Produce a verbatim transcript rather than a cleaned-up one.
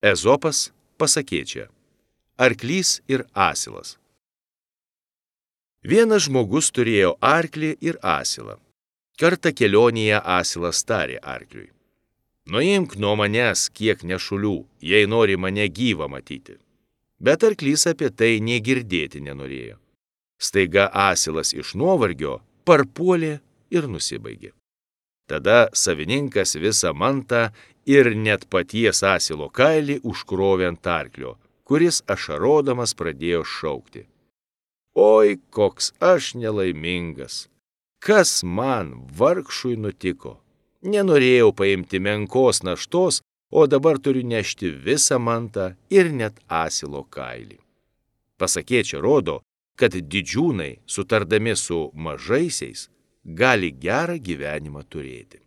Ezopas pasakėčia. Arklys ir asilas. Vienas žmogus turėjo arklį ir asilą. Kartą kelionėje asilas tarė arkliui. Nuimk nuo manęs kiek nešulių, jei nori mane gyvą matyti. Bet arklys apie tai nė girdėti nenorėjo. Staiga asilas iš nuovargio parpuolė ir nusibaigė. Tada savininkas visą mantą ir net paties asilo kailį užkrovė ant arklio, kuris ašarodamas pradėjo šaukti. Oi, koks aš nelaimingas! Kas man vargšui nutiko? Nenorėjau paimti menkos naštos, o dabar turiu nešti visą mantą ir net asilo kailį. Pasakėčia rodo, kad didžiūnai, sutardami su mažaisiais, gali gerą gyvenimą turėti.